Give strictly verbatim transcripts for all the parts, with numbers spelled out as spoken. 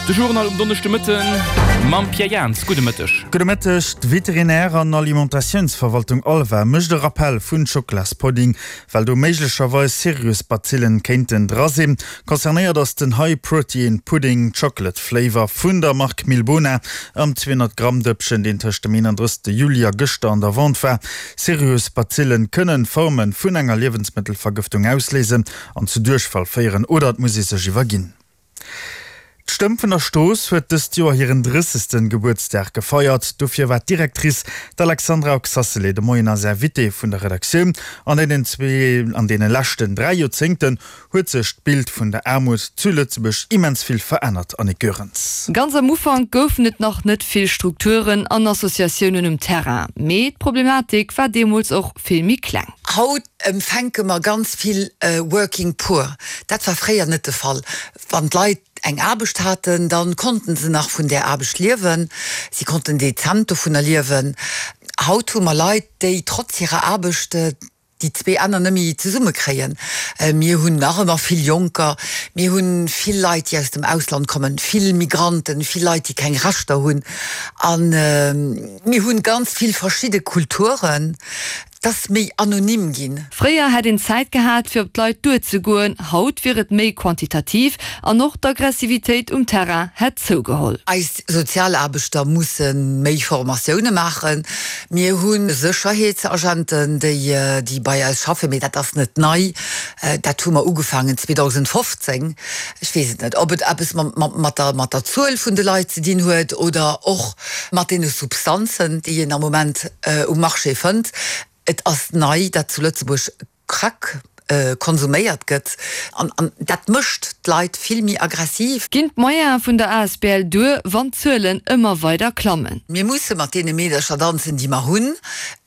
De Journal um Donneschdemëtten mam Pierre Jans. Gudde Mëtteg. Gudde Mëtteg. D'Veterinär an Alimentatiounsverwaltung ALVA mécht e Rappell vun Schoklaspudding, well do méiglecherweis Sirius-Bazillen kéinten dra sinn. Concernéiert ass den High Protein Pudding Chocolate Flavor vun der Mark Milbona am zweehonnert Gramm Dëppchen, deen tëscht dem eenandrëssegste Juli a gëschter an der Vente war. Sirius-Bazillen kënnen Forme vun enger Liewensmëttelvergëftung ausléisen an zu Duerchfall féieren oder et muss ee sech iwwerginn. D'Stëmm vun der Strooss huet dëst Joer hiren drëssegsten Gebuertsdag gefeiert. Dofir war d'Directrice, d'Alexandra Oxacelay, de Moien eis Invitée vun der Redaktioun. An deenen zwee, an deene leschten dräi Joerzéngten huet sech d'Bild vun der Aarmut zu Lëtzebuerg immens vill verännert, Annick Goerens. Ganz am Ufank goufen et nach net vill Strukturen an Associatiounen um Terrain, mee d'Problematik war deemools och vill méi kleng. Haut empfänke mer ganz vill Working Poor. Dat war fréier net de Fall. Wann d'Leit eng Aarbecht haten, da konnten se nach vun där Aarbecht liewen, si konnten dezent dovunner liewen. Haut hu mer Leit, déi trotz hirer Aarbecht déi zwee Enner net méi zesummekréien. Mir hunn nach ëmmer vill Jonker, mir hu vill Leit, déi aus dem Ausland kommen, vill Migranten, vill Leit, déi keng Rechter hunn. A mir hu ganz vill verschidde Kulturen. Et ass méi anonym ginn. Fréier hätt een Zäit gehat, fir op d'Leit duerzegoen, haut wier et méi quantitativ an och d'Aggressivitéit um Terrain hätt zougeholl. Eis Sozialaarbechter musse méi Formatioune maachen. Mir hu Sécherheetsagenten, déi bei eis schaffen, mee dat ass net nei. Dat hu mer ugefaangen zweedausendfofzéng. Ech weess et net, ob et eppes mat der Zuel vun de Leit ze dinn huet oder och mat deene Substanzen, déi een am Moment um Marché fënnt. Et ass nei, datt zu Lëtzebuerg Crack konsuméiert gëtt an dat mécht d'Leit vill méi aggressiv. Ginn d'Moyene vun der asbl duer, wann d'Zuelen ëmmer weider klammen? Mir musse mat deene Meedercher danzen, déi mer hunn.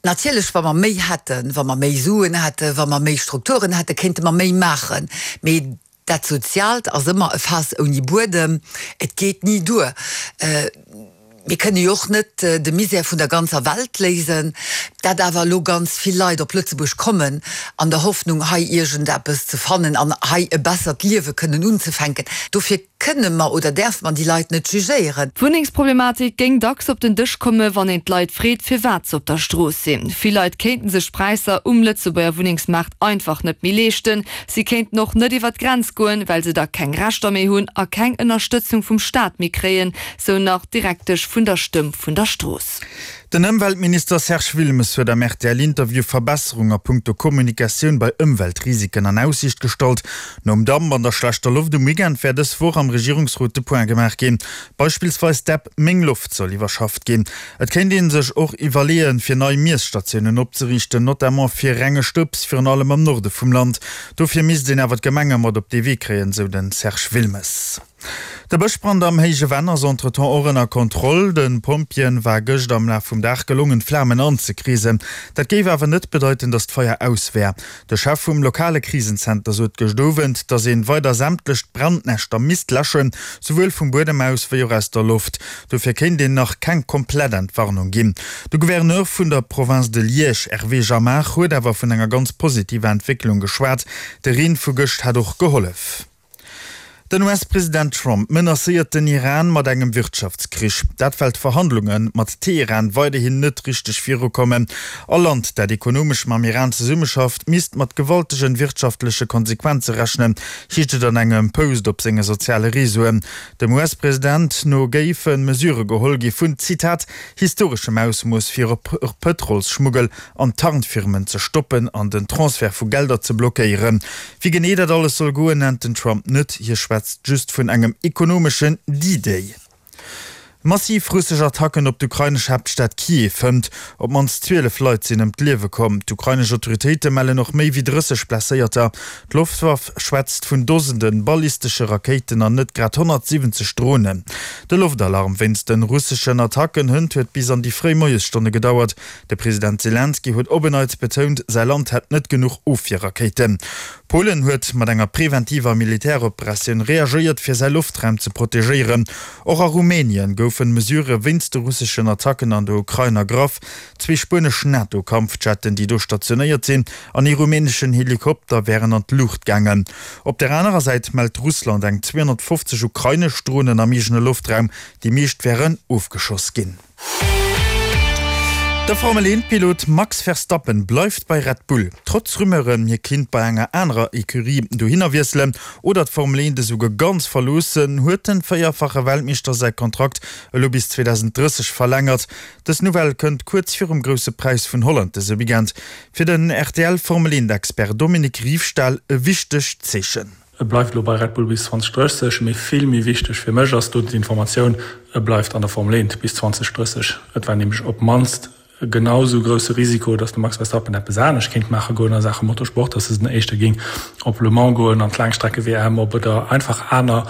Natierlech, wa mer méi hätten, wa mer méi Suen hätten, wa mer méi Strukturen hätten, kéinte mer méi maachen. Mee dat Soziaalt ass ëmmer e Faass ouni Buedem, et geet ni duer. Mir kënne jo och net de Misär vun der ganzer Welt léisen. Dat awer elo ganz vill Leit op Lëtzebuerg kommen an der Hoffnung hei iergendeppes ze fannen an hei e bessert Liewe kënnen unzefänken, dofir kënne mer oder däerfe mer déi Leit net jugéieren. D'Wunnengsproblematik géing dacks op den Dësch komme wann een d'Leit freet, firwat se op der Strooss sinn. Vill Leit kéinten sech d'Präisser um Lëtzebuerger Wunnengsmaart einfach net méi leeschten. Si kéinten och net iwwer d'Grenz goen, well se da keng Rechter méi hunn a keng Ënnerstëtzung vum Staat méi kréien, sou nach d'Direktesch vun der Stëmm vun der Strooss. Den Ëmweltminister Serge Wilmes huet am R T L-Interview Verbesserung a punkto Kommunikatioun bei Ëmweltrisiken an Aussiicht gestallt. Nom Damp an der schlechter Loft um Weekend wäert dës Woch am Regierungsrot de Point gemaach ginn. Beispillsweis d'App Meng Loft soll iwwerschafft ginn. Et kéint ee sech och iwwerleeën, fir nei Miesstatiounen opzeriichten, notamment fir renge Stëbs, virun allem am Norde vum Land. Dofir misst een awer d'Gemenge mat op dee Wee kréien, sou de Serge Wilmes. De Bëschbrand am Héije Venn ass entretemps och ënner Kontroll. De Pompjeeën war gëscht am Laf vum Dag gelongen, d'Flamen anzekreesen. Dat géif awer net bedeiten, datt d'Feier aus wär. De Chef vum lokale Krisenzenter sot gëscht Owend, datt een weider sämtlech Brandnäschter misst läschen, souwuel vum Buedem aus wéi och aus der Loft. Dofir kéint een nach keng komplett Entwarnung ginn. De Gouverneur vun der Province de Liège, Hervé Jamard, huet awer vun enger ganz positiver Entwécklung geschwat. De Reen vu gëscht hätt och gehollef. Den U S-President Trump menacéiert den Iran mat engem Wirtschaftskrich. Dat well d'Verhandlunge mat Teheran weiderhin net richteg virukommen. All Land, dat ekonomesch mam Iran zesummeschafft, misst mat gewaltegen wirtschaftleche Konsequenze rechnen, heescht et an engem Post op senge soziale Reseauen. Dem U S-President no géife Mesurë geholl gi vun, Zitat, historeschem Ausmooss fir Pëtrolsschmuggel an Tarnfirmen ze stoppen an den Transfert vu Gelder ze blockéieren. Wéi genee dat alles soll goen, nennt den Trump net. Hie schwätzt just vun engem ekonomeschen D-Day. Massiv russesch Attacken op d'ukrainesch Haaptstad Kiew hënt. Op d'mannst zwielef Leit sinn ëm d'Liewe komm. D'ukrainesch Autoritéite mellen och méi wéi drësseg Blesséierter. D'Loftwaff schwätzt vun Dosende ballistesche Rakéiten an net grad honnertsiwwenzeg Dronen. De Loftalarm wéinst de russeschen Attacken hënt huet bis an déi fréi Moiesstonne gedauert. De President Selenskyj huet op en Neits betount, säi Land hätt net genuch Ofwierrakéiten. Polen huet mat enger preventiver Militäroperatioun reagéiert, fir säi Loftraum ze protegéieren. Och a Rumänien goufen Mesurë wéinst de russeschen Attacken an der Ukrain ergraff. Zwee spuenesch NATO-Kampfjetten, déi do stationéiert sinn, an ee rumäneschen Helikopter wären an d'Luucht gaangen. Op der anerer Säit mellt Russland eng zweehonnertfofzeg ukrainesch Dronen am eegene Loftraum, déi meescht wären ofgeschoss ginn. De Formel eent Pilot Max Verstappen bleift bei Red Bull. Trotz Rumeuren, hie kinnt bei enger anerer Ecurie dohinner wiesselen oder d'Formel eent esouguer ganz verloossen, huet den véierfache Weltmeeschter säi Kontrakt elo bis zweedausend drësseg verlängert. Dës Nouvelle kënnt kuerz virum Grousse Präis vun Holland dëse Weekend. Fir den R T L Formel eent Expert Dominique Riefstahl e wichtegt Zeechen. E bleift elo bei Red Bull bis zweedausend drësseg, mee vill méi wichteg fir mech ass do d'Informatioun, e bleift an der Formel eent bis zweedausend drësseg. Et war nämlech op d'mannst genau sou grousse Risiko, datt de Max Verstappen eppes anescht kéint maache goen a Saache Motorsport, datt en éischter géing op Le Mans goen, an d'Laangstrecke-W M op oder einfach aner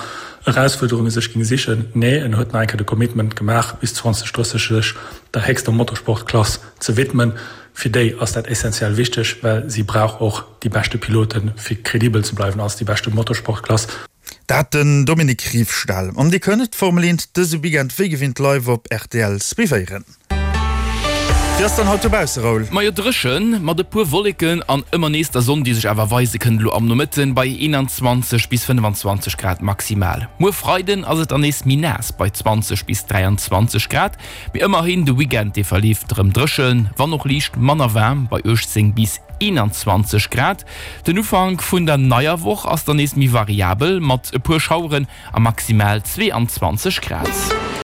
Erausfuerderunge sech géing sichen. Nee, en huet nach eng Kéier de Commitment gemaach, bis zweedausend drësseg sech der héchster Motorsportklass ze widmen. Fir déi ass dat essentiell wichteg, well si brauch och déi beschte Piloten, fir kredibel ze bleiwen als déi beschte Motorsportklass. Dat den Dominique Riefstahl. An Dir kënnt d'Formel eent dëse Weekend wéi gewinnt live op R T L suivéieren. Wéi ass dann haut dobausse, Raoul? Majo, dréchen, mat e puer Wolleken an ëmmer nees der Sonn, déi sech awer weise kënnt elo am Nomëtten, bei eenanzwanzeg bis fënnfanzwanzeg Grad maximal. Muer Freiden ass et dann nees méi naass bei zwanzeg bis dräianzwanzeg Grad, mee ëmmerhin de Weekend dee verleeft erëm dréchen, wann och liicht manner waarm bei uechtzéng bis eenanzwanzeg Grad. Den Ufank vun der neier Woch ass dann nees méi variabel mat e puer Schaueren a maximal zweeanzwanzeg Grad.